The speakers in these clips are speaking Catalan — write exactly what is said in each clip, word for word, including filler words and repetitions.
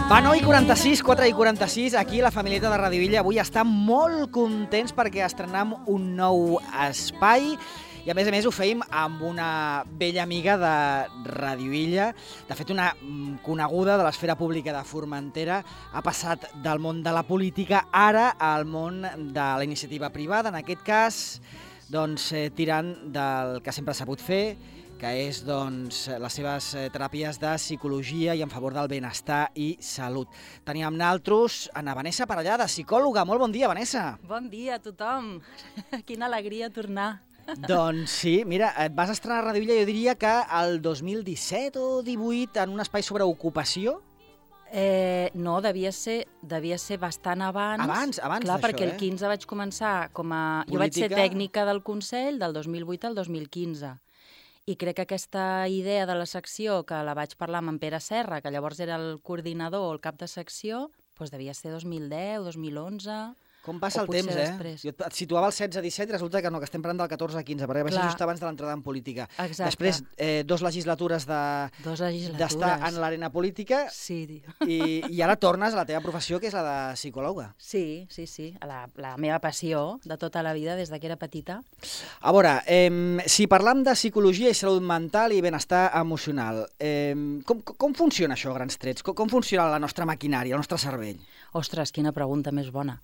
Va, nou i quaranta-sis, quatre i quaranta-sis, aquí la famílieta de Radio Illa avui està molt contents perquè estrenem un nou espai i a més a més ho fèiem amb una vella amiga de Radio Illa, de fet una coneguda de l'esfera pública de Formentera, ha passat del món de la política ara al món de la iniciativa privada, en aquest cas doncs, eh, tirant del que sempre s'ha sabut fer, que és doncs, les seves teràpies de psicologia i en favor del benestar i salut. Teníem amb nosaltres Ana Vanessa Parellada, psicòloga. Molt bon dia, Vanessa. Bon dia a tothom. Quina alegria tornar. Doncs sí, mira, et vas estrenar a Radio Illa, jo diria que el dos mil disset o divuit, en un espai sobre ocupació. Eh, no, devia ser, devia ser bastant abans. Abans, abans Clar, d'això, perquè eh? el quinze vaig començar com a... Política. Jo vaig ser tècnica del Consell del dos mil vuit al dos mil quinze. I crec que aquesta idea de la secció, que la vaig parlar amb en Pere Serra, que llavors era el coordinador o el cap de secció, doncs devia ser dos mil deu, dos mil onze... Com passa o el potser temps, eh? després. Jo et situava el setze disset i resulta que no, que estem parlant del catorze quinze, perquè va ser Clar. just abans de l'entrada en política. Exacte. Després, eh, dos legislatures de Dos legislatures. d'estar en l'arena política Sí, tio. i, i ara tornes a la teva professió, que és la de psicòloga. Sí, sí, sí. La, la meva passió de tota la vida, des de que era petita. A veure, eh, si parlam de psicologia i salut mental i benestar emocional, eh, com, com funciona això a grans trets? Com, com funciona la nostra maquinària, el nostre cervell? Ostres, quina pregunta més bona.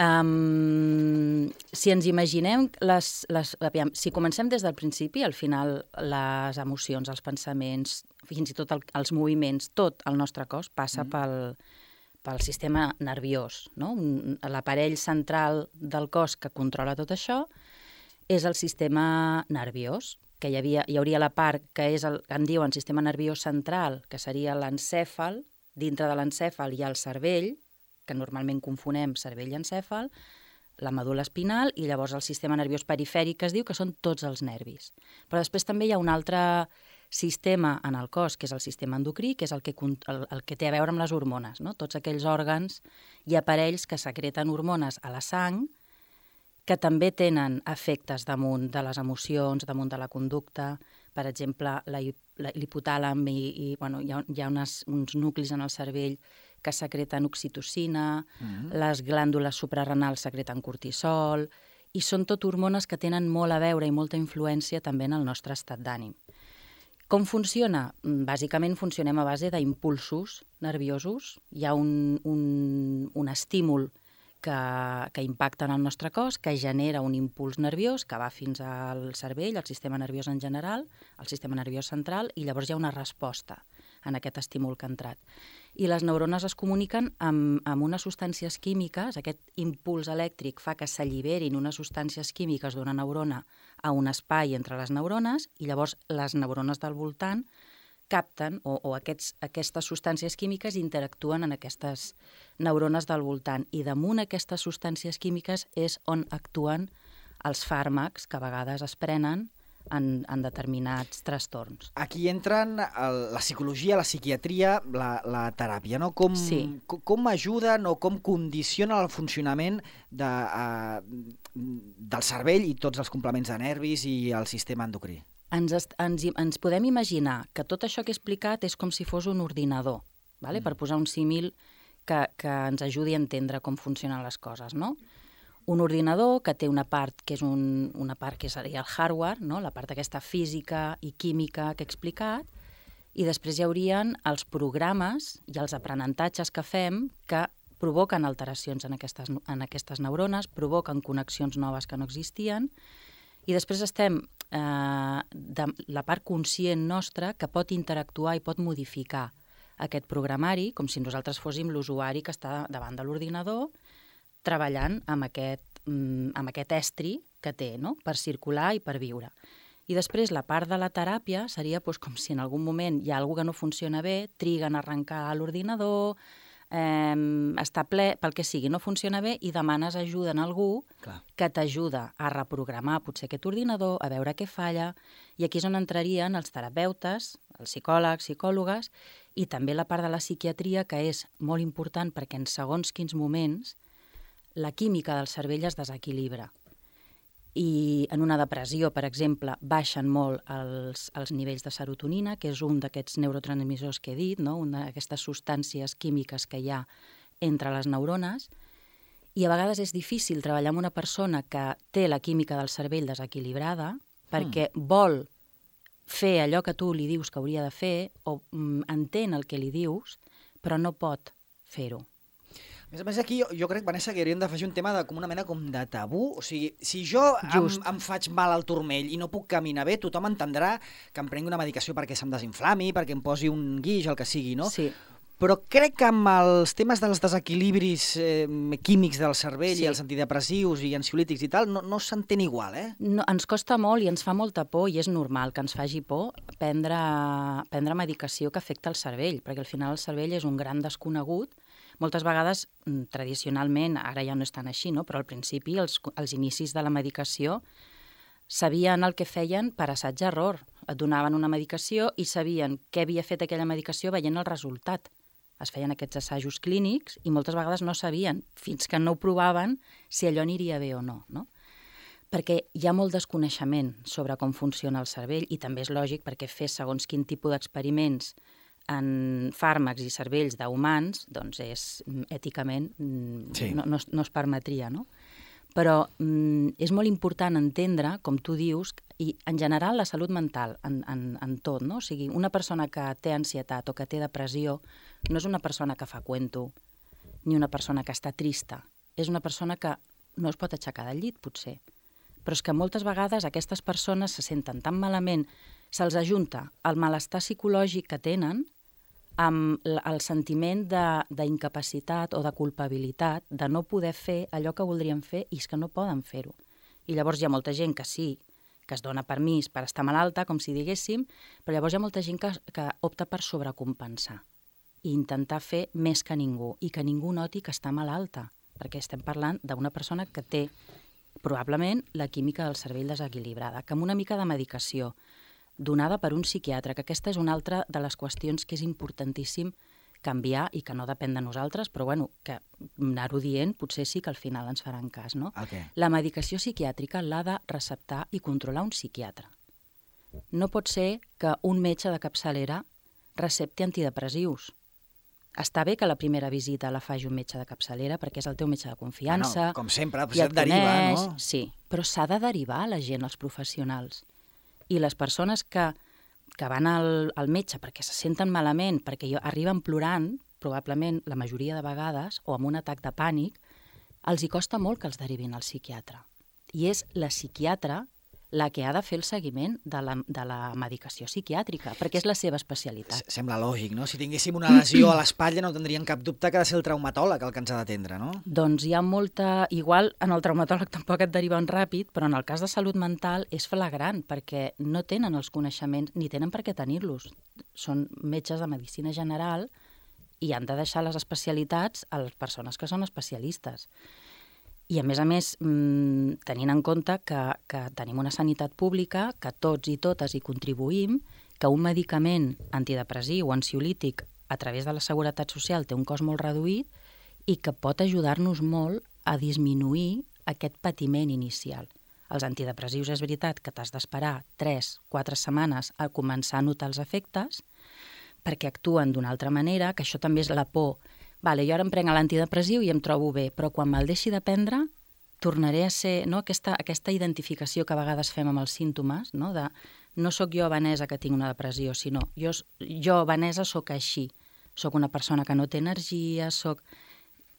Um, si ens imaginem, les, les, aviam, si comencem des del principi, al final les emocions, els pensaments, fins i tot el, els moviments, tot el nostre cos passa mm. pel, pel sistema nerviós, no? L'aparell central del cos que controla tot això és el sistema nerviós, que hi, havia, hi hauria la part que és el que en diuen sistema nerviós central, que seria l'encèfal, dintre de l'encèfal hi ha el cervell, que normalment confonem cervell i encèfal, la medul·la espinal i llavors el sistema nerviós perifèric, que es diu que són tots els nervis. Però després també hi ha un altre sistema en el cos, que és el sistema endocrí, que és el que, el, el que té a veure amb les hormones, no? Tots aquells òrgans i aparells que secreten hormones a la sang, que també tenen efectes damunt de les emocions, damunt de la conducta. Per exemple, l'hipotàlam, i, i bueno, hi ha, hi ha unes, uns nuclis en el cervell que secreten oxitocina, mm-hmm. les glàndules suprarrenals secreten cortisol, i són tot hormones que tenen molt a veure i molta influència també en el nostre estat d'ànim. Com funciona? Bàsicament funcionem a base d'impulsos nerviosos. Hi ha un, un, un estímul que, que impacta en el nostre cos, que genera un impuls nerviós que va fins al cervell, al sistema nerviós en general, al sistema nerviós central, i llavors hi ha una resposta en aquest estímul que ha entrat. I les neurones es comuniquen amb, amb unes substàncies químiques, aquest impuls elèctric fa que s'alliberin unes substàncies químiques d'una neurona a un espai entre les neurones i llavors les neurones del voltant capten o, o aquests, aquestes substàncies químiques interactuen en aquestes neurones del voltant i damunt aquestes substàncies químiques és on actuen els fàrmacs que a vegades es prenen En, en determinats trastorns. Aquí entren el, la psicologia, la psiquiatria, la, la teràpia, no? Com, sí. com, com ajuden o com condiciona el funcionament de, uh, del cervell i tots els complements de nervis i el sistema endocrí? Ens, est, ens, ens podem imaginar que tot això que he explicat és com si fos un ordinador, vale? Mm. Per posar un símil que, que ens ajudi a entendre com funcionen les coses, no? Un ordinador que té una part que és un, una part que seria el hardware, no? La part aquesta física i química que he explicat, i després hi haurien els programes i els aprenentatges que fem que provoquen alteracions en aquestes, en aquestes neurones, provoquen connexions noves que no existien, i després estem eh, de la part conscient nostra que pot interactuar i pot modificar aquest programari, com si nosaltres fóssim l'usuari que està davant de l'ordinador, treballant amb aquest, amb aquest estri que té, no? Per circular i per viure. I després la part de la teràpia seria doncs, com si en algun moment hi ha alguna que no funciona bé, triguen a arrencar l'ordinador, eh, està ple, pel que sigui, no funciona bé i demanes ajuda a algú Clar. Que t'ajuda a reprogramar potser aquest ordinador, a veure què falla, i aquí és on entrarien els terapeutes, els psicòlegs, psicòlogues, i també la part de la psiquiatria, que és molt important perquè en segons quins moments la química del cervell es desequilibra. i en una depressió, per exemple, baixen molt els, els nivells de serotonina, que és un d'aquests neurotransmissors que he dit, no? Una d'aquestes substàncies químiques que hi ha entre les neurones, i a vegades és difícil treballar amb una persona que té la química del cervell desequilibrada perquè mm. vol fer allò que tu li dius que hauria de fer o mm, entén el que li dius, però no pot fer-ho. A més a més, aquí jo, jo crec, Vanessa, que hauríem d'afegir un tema de, com una mena com de tabú. O sigui, si jo em, em faig mal al turmell i no puc caminar bé, tothom entendrà que em prengui una medicació perquè se'm desinflami, perquè em posi un guix, el que sigui, no? Sí. Però crec que amb els temes dels desequilibris eh, químics del cervell sí. i els antidepressius i ansiolítics i tal, no, no s'entén igual, eh? No, ens costa molt i ens fa molta por, i és normal que ens faci por prendre, prendre medicació que afecta el cervell, perquè al final el cervell és un gran desconegut. Moltes vegades, tradicionalment, ara ja no és tan així, no? Però al principi, els, els inicis de la medicació, sabien el que feien per assaig-error. Et donaven una medicació i sabien què havia fet aquella medicació veient el resultat. Es feien aquests assajos clínics i moltes vegades no sabien, fins que no ho provaven, si allò aniria bé o no, no? Perquè hi ha molt desconeixement sobre com funciona el cervell i també és lògic perquè fer segons quin tipus d'experiments en fàrmacs i cervells d'humans, doncs és èticament, sí. no, no, no es permetria, no? Però mm, és molt important entendre, com tu dius, i en general la salut mental, en, en, en tot, no? O sigui, una persona que té ansietat o que té depressió no és una persona que fa cuento, ni una persona que està trista. És una persona que no es pot aixecar del llit, potser. Però és que moltes vegades aquestes persones se senten tan malament, se'ls ajunta el malestar psicològic que tenen amb el sentiment d'incapacitat o de culpabilitat de no poder fer allò que voldrien fer i és que no poden fer-ho. I llavors hi ha molta gent que sí, que es dona permís per estar malalta, com si diguéssim, però llavors hi ha molta gent que, que opta per sobrecompensar i intentar fer més que ningú i que ningú noti que està malalta, perquè estem parlant d'una persona que té probablement la química del cervell desequilibrada, que amb una mica de medicació donada per un psiquiatre, que aquesta és una altra de les qüestions que és importantíssim canviar i que no depèn de nosaltres, però bueno, que anar-ho dient potser sí que al final ens faran cas, no? Okay. La medicació psiquiàtrica l'ha de receptar i controlar un psiquiatre. No pot ser que un metge de capçalera recepti antidepressius. Està bé que la primera visita la faci un metge de capçalera perquè és el teu metge de confiança. Bueno, com sempre, i et deriva, coneix, no? Sí, però s'ha de derivar a la gent, als professionals. I les persones que, que van al, al metge perquè se senten malament, perquè arriben plorant, probablement la majoria de vegades, o amb un atac de pànic, els hi costa molt que els derivin al psiquiatre. I és la psiquiatra la que ha de fer el seguiment de la, de la medicació psiquiàtrica, perquè és la seva especialitat. Sembla lògic, no? Si tinguéssim una lesió a l'espatlla no tindrien cap dubte que ha de ser el traumatòleg el que ens ha d'atendre, no? Doncs hi ha molta... Igual en el traumatòleg tampoc et deriven ràpid, però en el cas de salut mental és flagrant, perquè no tenen els coneixements, ni tenen per què tenir-los. Són metges de medicina general i han de deixar les especialitats a les persones que són especialistes. I, a més a més, tenint en compte que, que tenim una sanitat pública, que tots i totes hi contribuïm, que un medicament antidepressiu o ansiolític a través de la Seguretat Social té un cost molt reduït i que pot ajudar-nos molt a disminuir aquest patiment inicial. Els antidepressius és veritat que t'has d'esperar tres quatre setmanes a començar a notar els efectes perquè actuen d'una altra manera, que això també és la por. Vale, jo ara em prenc l'antidepressiu i em trobo bé, però quan me'l deixi de prendre tornaré a ser, no, aquesta, aquesta identificació que a vegades fem amb els símptomes, no, de no sóc jo, Vanessa, que tinc una depressió, sinó jo, jo Vanessa, sóc així. Sóc una persona que no té energia, sóc...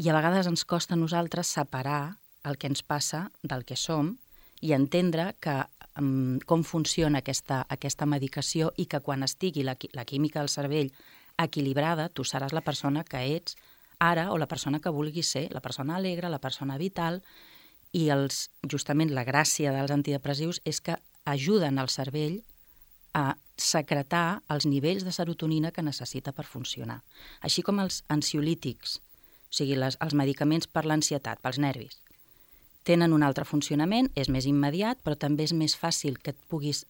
I a vegades ens costa a nosaltres separar el que ens passa del que som i entendre que, um, com funciona aquesta, aquesta medicació i que quan estigui la, la química del cervell equilibrada, tu seràs la persona que ets ara o la persona que vulguis ser, la persona alegre, la persona vital, i els, justament la gràcia dels antidepressius és que ajuden al cervell a secretar els nivells de serotonina que necessita per funcionar. Així com els ansiolítics, o sigui, les, els medicaments per l'ansietat, pels nervis, tenen un altre funcionament, és més immediat, però també és més fàcil que et puguis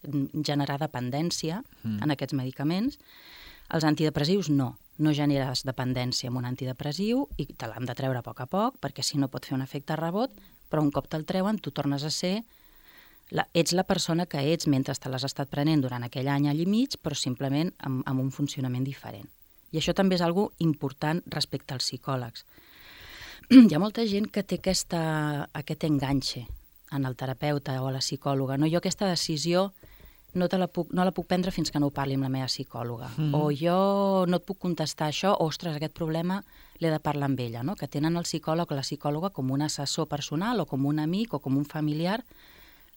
generar dependència mm. en aquests medicaments. Els antidepressius no, no generes dependència amb un antidepressiu i te l'han de treure a poc a poc, perquè si no pot fer un efecte rebot, però un cop te'l treuen tu tornes a ser La, ets la persona que ets mentre te l'has estat prenent durant aquell any, any i mig, però simplement amb, amb un funcionament diferent. I això també és algo important respecte als psicòlegs. Hi ha molta gent que té aquesta, aquest enganxe en el terapeuta o a la psicòloga. No? Jo aquesta decisió no, te la puc, no la puc prendre fins que no ho parli amb la meva psicòloga. Mm. O jo no et puc contestar això, o, ostres, aquest problema l'he de parlar amb ella. No? Que tenen el psicòleg o la psicòloga com un assessor personal o com un amic o com un familiar.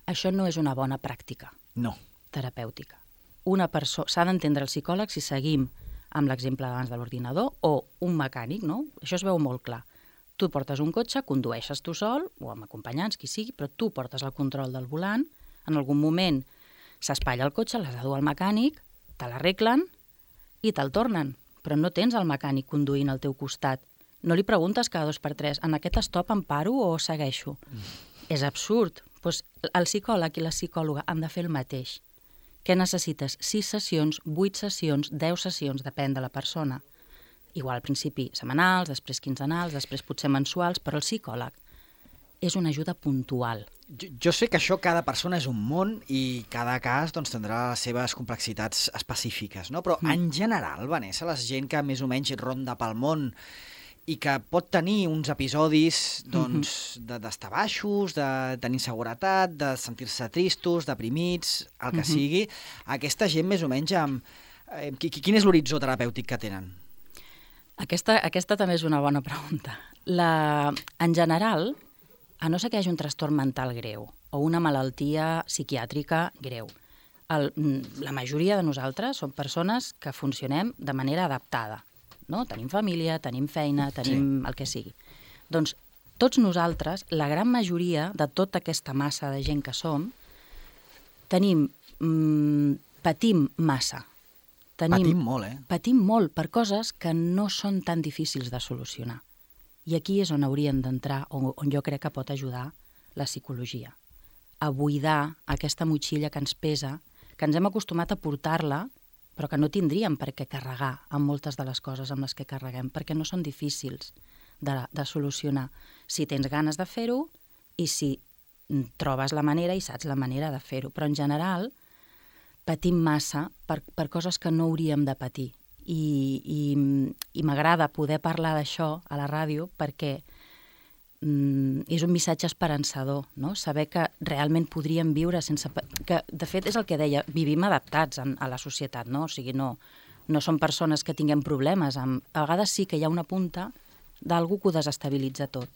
Això no és una bona pràctica no. terapèutica. Una persona s'ha d'entendre el psicòleg si seguim amb l'exemple d'abans de l'ordinador o un mecànic, no? Això es veu molt clar. Tu portes un cotxe, condueixes tu sol o amb acompanyants, qui sigui, però tu portes el control del volant, en algun moment s'espatlla el cotxe, l'has de dur al mecànic, te l'arreglen i te'l tornen, però no tens el mecànic conduint al teu costat. No li preguntes cada dos per tres, en aquest stop em paro o segueixo? Mm. És absurd. Pues el psicòleg i la psicòloga han de fer el mateix. Què necessites? Sis sessions, vuit sessions, deu sessions, depèn de la persona. Igual al principi setmanals, després quinzenals, després potser mensuals, però el psicòleg és una ajuda puntual. Jo, jo sé que això cada persona és un món i cada cas doncs, tindrà les seves complexitats específiques, no? Però mm. en general, Vanessa, la gent que més o menys ronda pel món i que pot tenir uns episodis doncs, de, d'estar baixos, de tenir inseguretat, de sentir-se tristos, deprimits, el que uh-huh. sigui. Aquesta gent més o menys amb... Eh, quin és l'horitzó terapèutic que tenen? Aquesta, aquesta també és una bona pregunta. La, en general, a no ser que hi hagi un trastorn mental greu o una malaltia psiquiàtrica greu, el, la majoria de nosaltres som persones que funcionem de manera adaptada. No? Tenim família, tenim feina, tenim sí. el que sigui. Doncs tots nosaltres, la gran majoria de tota aquesta massa de gent que som, tenim, mmm, patim massa. Tenim, patim molt, eh? Patim molt per coses que no són tan difícils de solucionar. I aquí és on haurien d'entrar, on, on jo crec que pot ajudar la psicologia. A buidar aquesta motxilla que ens pesa, que ens hem acostumat a portar-la, però que no tindríem per què carregar amb moltes de les coses amb les que carreguem, perquè no són difícils de, de solucionar. Si tens ganes de fer-ho i si trobes la manera i saps la manera de fer-ho. Però en general patim massa per, per coses que no hauríem de patir. I, i, i m'agrada poder parlar d'això a la ràdio perquè mm, és un missatge esperançador, no? Saber que realment podríem viure sense... Que, de fet, és el que deia, vivim adaptats a, a la societat, no? O sigui, no, no som persones que tinguem problemes. Amb, a vegades sí que hi ha una punta d'algú que ho desestabilitza tot.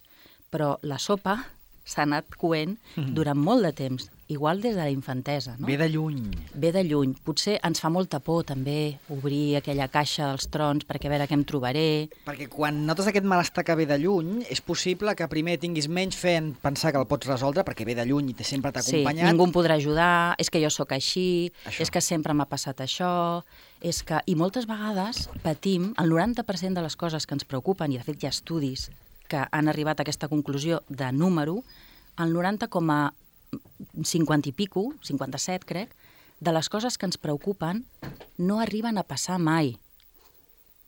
Però la sopa s'ha anat coent mm. durant molt de temps, igual des de la infantesa. No? Ve de lluny. Ve de lluny. Potser ens fa molta por també obrir aquella caixa dels trons perquè a veure què em trobaré. Perquè quan notes aquest malestar que ve de lluny, és possible que primer tinguis menys fe en pensar que el pots resoldre perquè ve de lluny i te sempre t'ha acompanyat. Sí, ningú em podrà ajudar, és que jo sóc així, això. És que sempre m'ha passat això, és que... I moltes vegades patim, el noranta per cent de les coses que ens preocupen, i de fet hi ha estudis que han arribat a aquesta conclusió de número, el noranta coma cinquanta i pico, cinquanta-set crec, de les coses que ens preocupen no arriben a passar mai.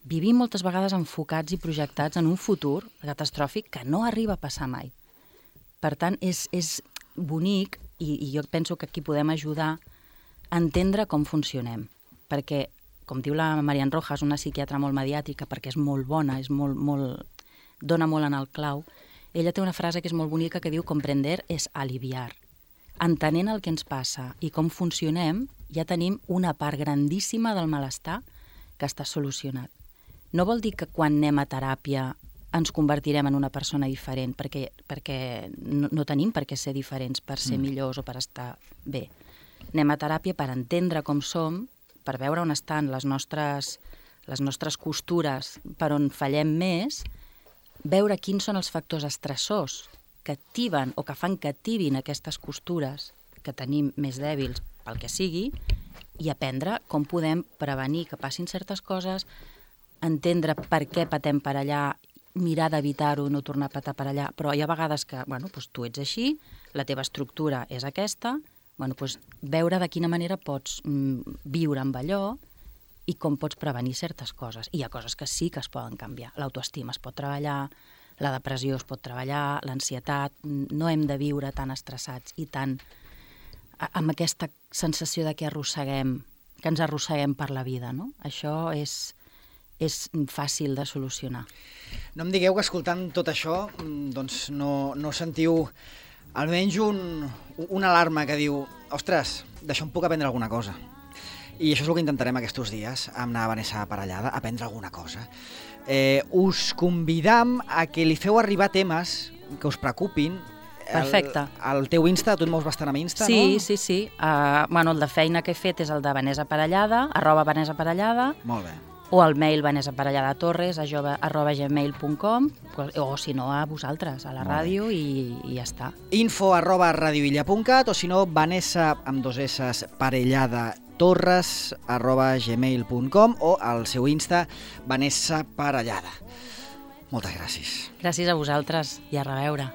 Vivim moltes vegades enfocats i projectats en un futur catastròfic que no arriba a passar mai. Per tant, és, és bonic, i, i jo penso que aquí podem ajudar a entendre com funcionem, perquè, com diu la Marian Rojas, una psiquiatra molt mediàtrica, perquè és molt bona, és molt, molt, dona molt en el clau, ella té una frase que és molt bonica que diu comprender és aliviar. Entenent el que ens passa i com funcionem, ja tenim una part grandíssima del malestar que està solucionat. No vol dir que quan anem a teràpia ens convertirem en una persona diferent, perquè, perquè no, no tenim per què ser diferents per ser mm. millors o per estar bé. Anem a teràpia per entendre com som, per veure on estan les nostres, les nostres costures, per on fallem més, veure quins són els factors estressors que activen o que fan que activin aquestes costures que tenim més dèbils pel que sigui i aprendre com podem prevenir que passin certes coses, entendre per què patem per allà, mirar d'evitar-ho, no tornar a patar per allà, però hi ha vegades que, bueno, doncs tu ets així, la teva estructura és aquesta, bueno, doncs veure de quina manera pots mm, viure amb allò i com pots prevenir certes coses. I hi ha coses que sí que es poden canviar. L'autoestima es pot treballar, la depressió es pot treballar, l'ansietat, no hem de viure tan estressats i tan amb aquesta sensació de que arrosseguem, que ens arrosseguem per la vida, no? Això és, és fàcil de solucionar. No em digueu que escoltant tot això doncs no, no sentiu almenys un, una alarma que diu ostres, d'això em puc aprendre alguna cosa. I això és el que intentarem aquests dies amb la Vanessa Parellada, aprendre alguna cosa. Eh, us convidam a que li feu arribar temes que us preocupin. Perfecte. El, el teu Insta, tu et mous bastant amb Insta, sí, no? Sí, sí, sí. Uh, bueno, el de feina que he fet és el de Vanessa Parellada, arroba Vanessa Parellada. Molt bé. O el mail vanessaparelladatorres arroba gmail punt com, o si no a vosaltres, a la ràdio, i, i ja està. Info arroba radioilla punt cat o si no Vanessa amb dos esses parellada torres arroba gmail punt com o al seu Insta Vanessa Parellada. Moltes gràcies. Gràcies a vosaltres i a reveure.